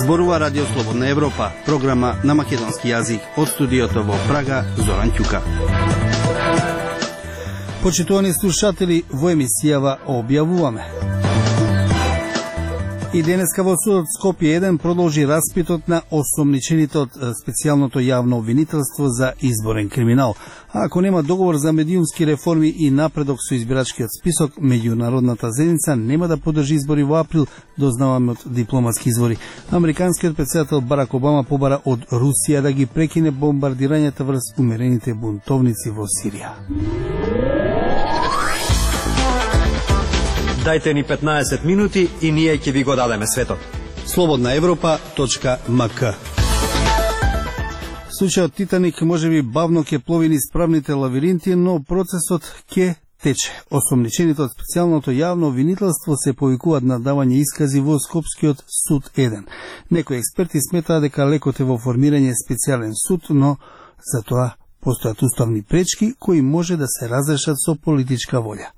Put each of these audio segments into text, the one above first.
Зборува Радио Слободна Европа, програма на македонски јазик од студиото во Прага, Зоран Ќука. Почитувани слушатели, во емисијава објавуваме. И денеска во судот Скопје 1 продолжи распитот на осомничените од специјалното јавно обвинителство за изборен криминал. А ако нема договор за медиумски реформи и напредок со избирачкиот список, меѓународната заедница нема да подржи избори во април, дознаваме од дипломатски извори. Американскиот претседател Барак Обама побара од Русија да ги прекине бомбардирањата врз умерените бунтовници во Сирија. Дајте ни 15 минути и ние ќе ви го дадеме светот. slobodnaevropa.mk. Случајот Титаник можеби бавно ќе плови низ правните лавиринти, но процесот ќе тече. Осомничените од специјалното јавно обвинителство се повикуваат на давање искази во Скопскиот суд 1. Некои експерти сметаат дека лекот е во формирање специјален суд, но за тоа постојат уставни пречки кои може да се разрешат со политичка волја.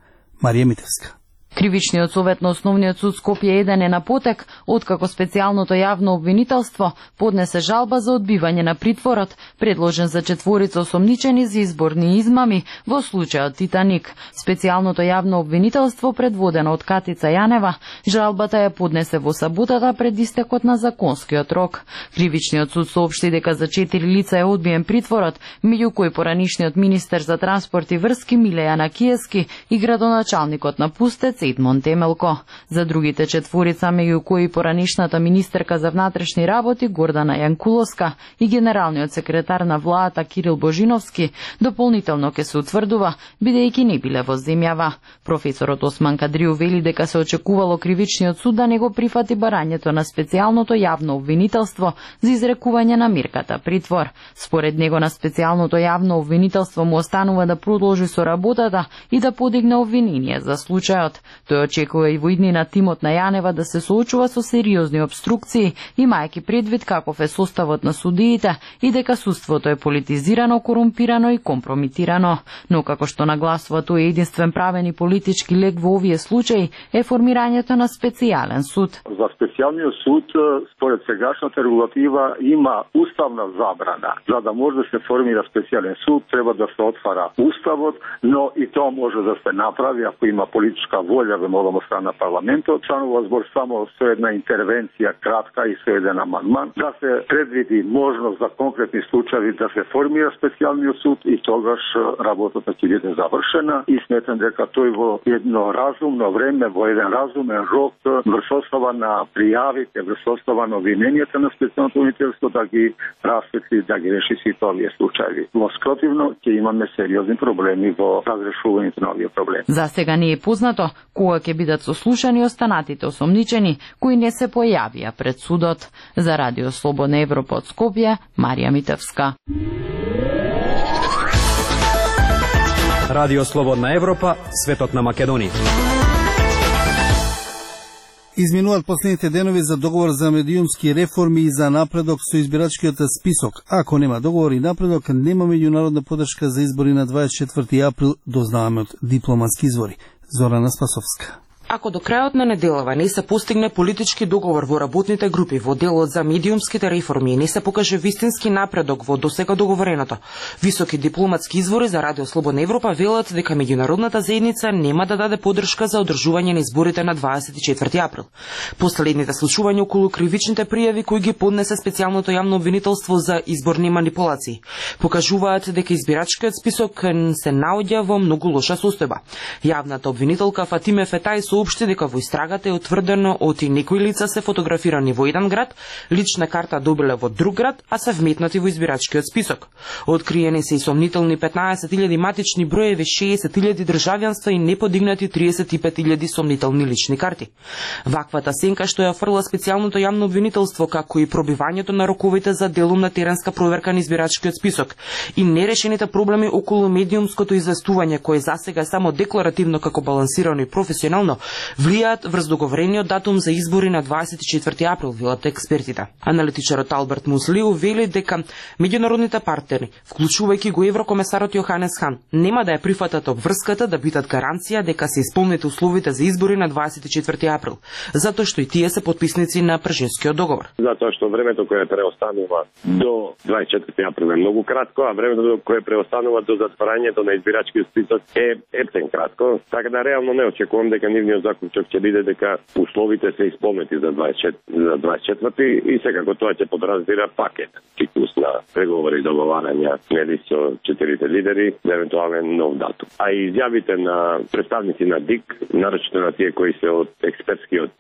Марија Митевска. Кривичниот совет на Основниот суд Скопје 1 е на потек, откако специјалното јавно обвинителство поднесе жалба за одбивање на притворот, предложен за четворица осомничени за изборни измами во случајот Титаник. Специјалното јавно обвинителство, предводено од Катица Јанева, жалбата ја поднесе во саботата пред истекот на законскиот рок. Кривичниот суд соопшти дека за 4 лица е одбиен притворот, меѓу кои поранишниот министер за транспорт и врски Миле Јанакиевски и градоначалникот на Пустец Едмон Темелко. За другите четворица, меѓу кои поранишната министерка за внатрешни работи Гордана Јанкуловска и генералниот секретар на владата Кирил Божиновски, дополнително ќе се утврдува, бидејќи не биле во земјава. Професорот Осман Кадриу вели дека се очекувало Кривичниот суд да не го прифати барањето на специјалното јавно обвинителство за изрекување на мерката притвор. Според него на специјалното јавно обвинителство му останува да продолжи со работата и да подигне обвинение за случајот. Тој очекува и во иднина тимот на Јанева да се соочува со сериозни обструкции, имајќи предвид каков е составот на судиите и дека судството е политизирано, корумпирано и компрометирано. Но како што нагласува тој единствен правен и политички лек во овие случаи е формирањето на специјален суд. За специјалниот суд, според сегашната регулатива, има уставна забрана. За да може да се формира специјален суд, треба да се отвара уставот, но и тоа може да се направи ако има политичка волја да молам од страна на парламентот. Членува збор само со една интервенција кратка и со еден амандман да се предвиди можност за конкретни случаи да се формира специјалниот суд и тогаш работата ќе биде завршена и сметам дека тој во едно разумно време, во еден разумен рок, врз основа на пријавите, врз основа на обвиненијата на специјалното обвинителство да ги расветли, да ги реши сите овие случаи. Во спротивно ќе имаме сериозни проблеми во разрешувањето на овие проблеми. За сега не е познато кога ќе бидат сослушани останатите осомничени кои не се појавија пред судот. За Радио Слободна Европа од Скопје, Марија Митевска. Радио Слободна Европа, светот на Македонија. Изминуваат последните денови за договор за медиумски реформи и за напредок со избирачкиот список. Ако нема договор и напредок, нема меѓународна подршка за избори на 24 април, дознаваме од дипломатски извори. Зорана Спасовска. Ако до крајот на неделава не се постигне политички договор во работните групи во делот за медиумските реформи и не се покаже вистински напредок во досега договореното, високи дипломатски извори за Радио Слободна Европа велат дека меѓународната заедница нема да даде подршка за одржување на изборите на 24 април. Последните случувања околу кривичните пријави кои ги поднесе специјалното јавно обвинителство за изборни манипулации покажуваат дека избирачкиот список се наоѓа во многу лоша состојба. Јавната обвинителка Фатиме Фетај соопшти дека во истрагата е утврдено оти некои лица се фотографирани во еден град, лична карта добиле во друг град, а се вметнати во избирачкиот список. Откриени се и сомнителни 15.000 матични броеви, 60.000 државјанства и неподигнати 35.000 сомнителни лични карти. Ваквата сенка што ја фрла специјалното јавно обвинителство, како и пробивањето на роковите за делумна теренска проверка на избирачкиот список и нерешените проблеми околу медиумското известување, кое засега е само декларативно како балансирано и професионално, влијаат врз договорениот датум за избори на 24 април, велат експертите. Аналитичарот Алберт Муслиу вели дека меѓународните партнери, вклучувајќи го еврокомесарот Јоханес Хан, нема да ја прифатат обврската да бидат гаранција дека се исполнети условите за избори на 24 април, затоа што и тие се потписници на Пржинскиот договор. Затоа што времето кое преостанува до 24 април е многу кратко, а времето кое преостанува до затварањето на избирачкиот список е ептен кратко, така да реално не очекувам дека нивниот заклучок ќе биде дека условите се исполнети за 24 и секако тоа ќе подразбира пакет циклус на преговори и договарања нели со четирите лидери за евентуален нов датум. А и изјавите на представници на ДИК, нарочно на тие кои се од експертскиот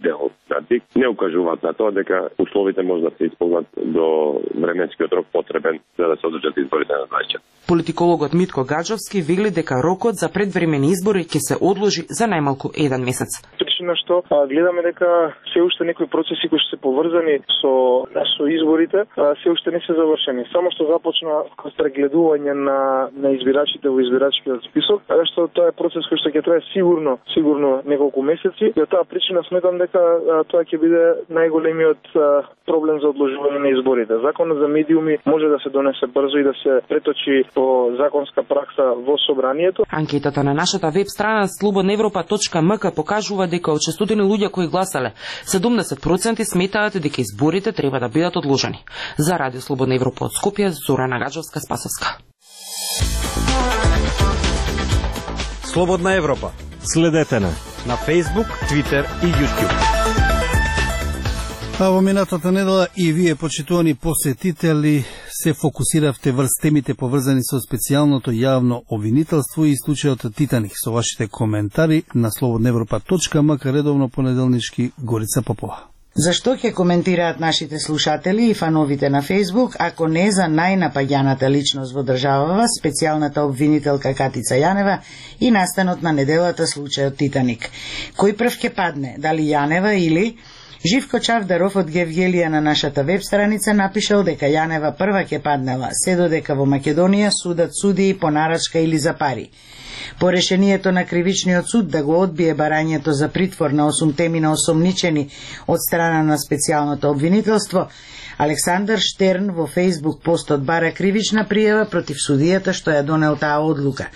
дел на ДИК, не укажуваат на тоа дека условите може да се исполнат до временскиот рок потребен за да се одржат изборите на 24. Политикологот Митко Гаджовски вели дека рокот за предвремени избори ќе се одложи за најмалку 1 месец. Причина што гледаме дека се уште некои процеси кои се поврзани со изборите се уште не се завршени. Само што започна прегледување на избирачите во избирачкиот список, така што тоа е процес кој што ќе трае сигурно неколку месеци. И од таа причина сметам дека тоа ќе биде најголемиот проблем за одложување на изборите. Законот за медиуми може да се донесе брзо и да се преточи по законска пракса во собранието. Анкетата на нашата веб страна slobodnaevropa.mk покажува дека од 600 луѓе кои гласале, 70% сметаат дека изборите треба да бидат одложени. За Радио Слободна Европа од Скопје, Зорана Гаджовска-Спасовска. Слободна Европа. Следете на Facebook, Twitter и YouTube. А во минатата недела и вие, почитувани посетители, се фокусиравте врз темите поврзани со специјалното јавно обвинителство и случајот Титаник. Со вашите коментари на slobodnaevropa.mk редовно понеделнички Горица Попова. Зашто ќе коментираат нашите слушатели и фановите на Facebook, ако не за најнапаѓаната личност во државава, специјалната обвинителка Катица Јанева и настанот на неделата случајот Титаник? Кој прв ќе падне, дали Јанева или... Живко Чавдаров од Гевгелија на нашата веб страница напишал дека Јанева прва ќе паднела, се додека во Македонија судат суди по нарачка или за пари. По решението на кривичниот суд да го одбие барањето за притвор на 8 темина осомничени од страна на специјалното обвинителство, Александар Штерн во Facebook постот бара кривична пријава против судијата што ја донел таа одлука.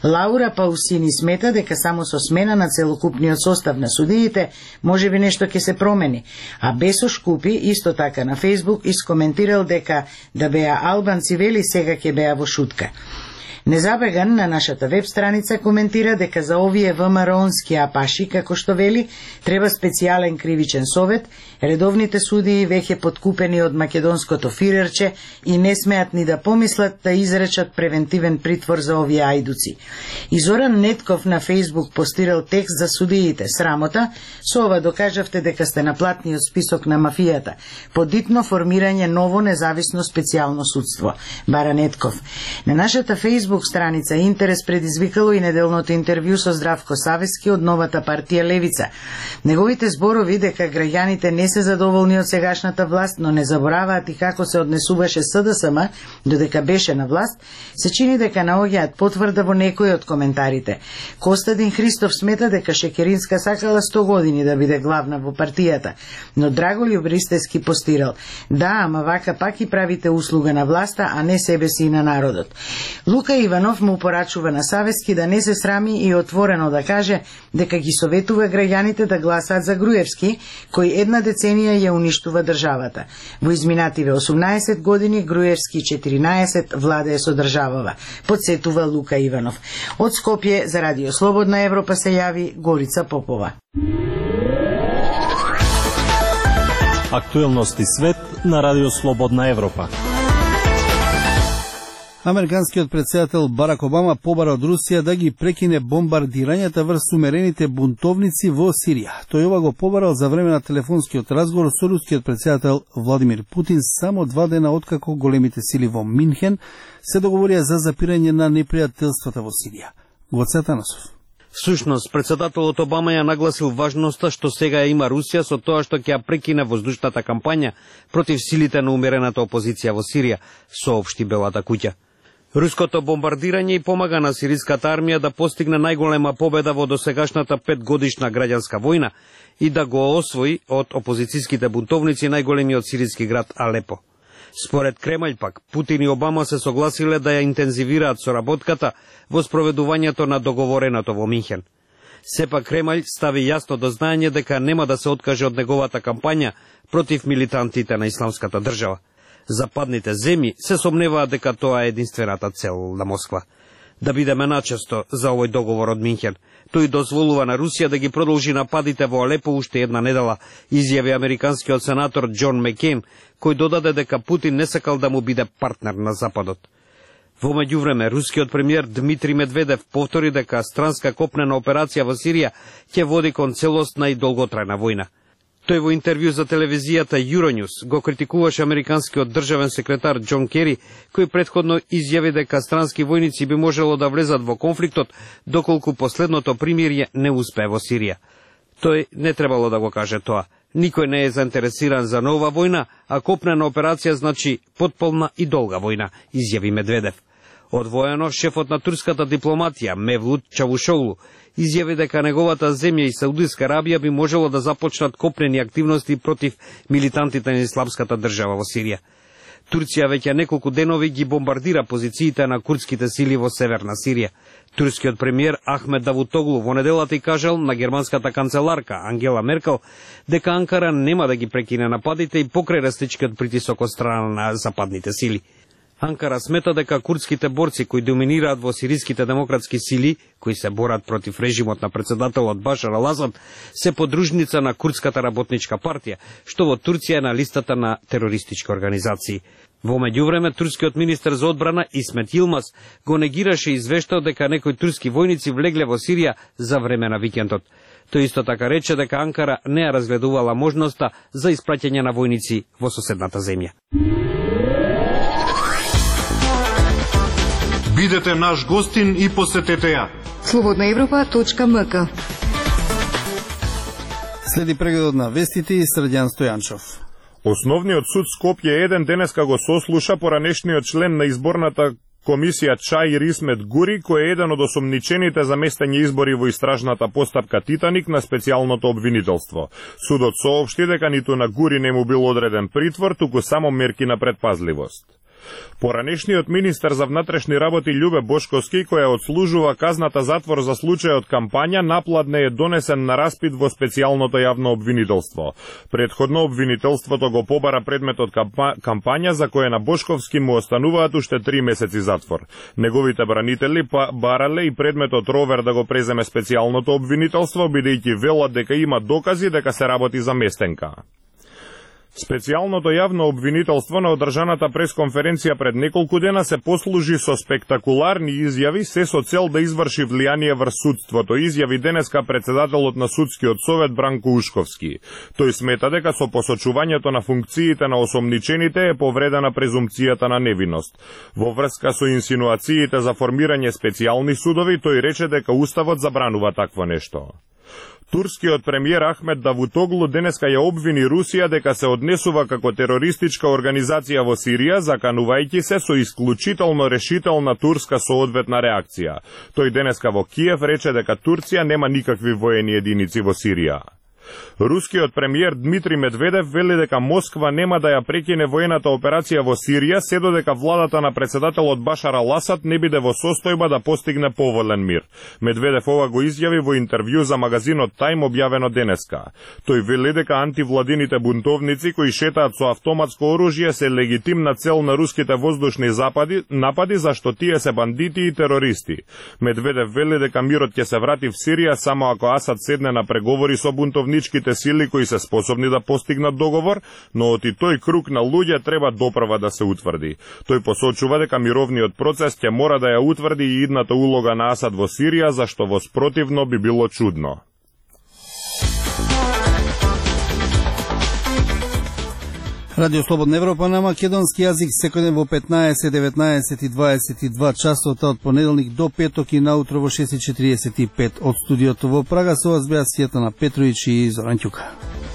Лаура Паусини смета дека само со смена на целокупниот состав на судиите можеби нешто ќе се промени, а Бесо Шкупи исто така на Facebook искоментирал дека да беа албанци вели сега ќе беа во шутка. Незабеган на нашата веб страница коментира дека за овие ВМРО-нски апаши, како што вели, треба специјален кривичен совет, редовните судии веќе подкупени од македонското фирерче и не смеат ни да помислат да изречат превентивен притвор за овие ајдуци. И Зоран Нетков на Facebook постирал текст за судиите. Срамота, со ова докажавте дека сте на платниот список на мафијата. Подитно формирање ново независно специјално судство. Бара Нетков. На нашата Facebook страница интерес предизвикало и неделното интервју со Здравко Савески од новата партија Левица. Неговите зборови дека граѓаните не се задоволни од сегашната власт, но не забораваат и како се однесуваше СДСМ додека беше на власт, се чини дека наоѓаат потврда во некои од коментарите. Костадин Христов смета дека Шекеринска сакала 100 години да биде главна во партијата, но Драголјуб Ристевски постирал: да, ама вака пак и правите услуга на власта, а не себе си и на народот. Лука Иванов му порачува на Савески да не се срами и отворено да каже дека ги советува граѓаните да гласаат за Груевски, кој една деценија ја уништува државата. Во изминативе 18 години Груевски 14 владее со државава, подсетува Лука Иванов. Од Скопје за Радио Слободна Европа се јави Горица Попова. Актуелности свет на Радио Слободна Европа. Американскиот претседател Барак Обама побара од Русија да ги прекине бомбардирањата врз умерените бунтовници во Сирија. Тој ова го побарал за време на телефонскиот разговор со рускиот претседател Владимир Путин само 2 дена откако големите сили во Минхен се договорија за запирање на непријателствата во Сирија. Гоце Атанасов. Всушност, претседателот Обама ја нагласил важноста што сега има Русија со тоа што ќе ја прекине воздушната кампања против силите на умерената опозиција во Сирија, соопшти Белата куќа. Руското бомбардирање и помага на сириската армија да постигне најголема победа во досегашната 5-годишна граѓанска војна и да го освои од опозицијските бунтовници најголемиот сириски град Алепо. Според Кремљ пак, Путин и Обама се согласиле да ја интензивираат соработката во спроведувањето на договореното во Минхен. Сепак Кремљ стави јасно до знаење дека нема да се откаже од неговата кампања против милитантите на исламската држава. Западните земји се сомневаат дека тоа е единствената цел на Москва. Да бидеме начесто за овој договор од Минхен. Тој дозволува на Русија да ги продолжи нападите во Алепо уште една недела, изјави американскиот сенатор Џон Мекейн, кој додаде дека Путин не сакал да му биде партнер на Западот. Во меѓувреме, рускиот премиер Дмитрий Медведев повтори дека странска копнена операција во Сирија ќе води кон целосна и долготрајна војна. Тој во интервју за телевизијата Euronews го критикуваше американскиот државен секретар Џон Кери, кој претходно изјави дека странски војници би можело да влезат во конфликтот доколку последното примирје не успее во Сирија. Тој не требало да го каже тоа. Никој не е заинтересиран за нова војна, а копнена операција значи потполна и долга војна, изјави Медведев. Одвоено, шефот на турската дипломатија Мевлут Чавушоглу изјави дека неговата земја и Саудиска Арабија би можело да започнат копнени активности против милитантите на исламската држава во Сирија. Турција веќе неколку денови ги бомбардира позициите на курдските сили во северна Сирија. Турскиот премиер Ахмед Давутоглу во неделата и кажал на германската канцеларка Ангела Меркел дека Анкара нема да ги прекине нападите и покрај растичкиот притисок од страна на западните сили. Анкара смета дека курдските борци кои доминираат во сириските демократски сили, кои се борат против режимот на председателот Башар ал-Асад, се подружница на Курдската работничка партија, што во Турција е на листата на терористички организации. Во меѓувреме, турскиот министер за одбрана Исмет Илмаз го негираше извештао дека некои турски војници влегле во Сирија за време на викендот. Тој исто така рече дека Анкара не ја разгледувала можноста за испраќање на војници во соседната земја. Бидете наш гостин и посетете ја. Slobodnaevropa.mk. Следи прегледот на вестите и Срđan Стојанчов. Основниот суд Скопје 1 денеска го сослуша поранешниот член на изборната комисија Чаир Исмет Гури, кој е еден од осомничените за местење избори во истражната постапка Титаник на специјалното обвинителство. Судот соопшти дека ниту на Гури не му бил одреден притвор, туку само мерки на предпазливост. Поранешниот министер за внатрешни работи Љубе Бошковски, која одслужува казната затвор за случајот кампања, напладне е донесен на распит во специјалното јавно обвинителство. Предходно обвинителството го побара предметот кампања за која на Бошковски му остануваат уште 3 месеци затвор. Неговите бранители барале и предметот ровер да го преземе специјалното обвинителство, бидејќи велат дека има докази дека се работи за местенка. Специјалното јавно обвинителство на одржаната пресконференција пред неколку дена се послужи со спектакуларни изјави, се со цел да изврши влијание врз судството, изјави денеска председателот на судскиот совет Бранко Ушковски. Тој смета дека со посочувањето на функциите на осомничените е повредена презумпцијата на невиност. Во врска со инсинуациите за формирање специјални судови, тој рече дека уставот забранува такво нешто. Турскиот премиер Ахмед Давутоглу денеска ја обвини Русија дека се однесува како терористичка организација во Сирија, заканувајќи се со исклучително решителна турска соодветна реакција. Тој денеска во Киев рече дека Турција нема никакви воени единици во Сирија. Рускиот премиер Дмитрий Медведев вели дека Москва нема да ја прекине воената операција во Сирија, се додека владата на председателот Башар ал-Асад не биде во состојба да постигне поволен мир. Медведев ова го изјави во интервју за магазинот Time објавено денеска. Тој вели дека антивладините бунтовници кои шетаат со автоматско оружје се легитимна цел на руските воздушни напади, зашто тие се бандити и терористи. Медведев вели дека мирот ќе се врати в Сирија само ако Асад седне на преговори со бунтовниците сили кои се способни да постигнат договор, но оти тој круг на луѓе треба допрва да се утврди. Тој посочува дека мировниот процес ќе мора да ја утврди и идната улога на Асад во Сирија, зашто во спротивно би било чудно. Радио Слободна Европа на македонски јазик секојден во 15, 19 и 22 часот од понеделник до петок и наутро во 6:45 од студиото во Прага. Со вас беа Сјетана Петровиќ и Зоран Ќука.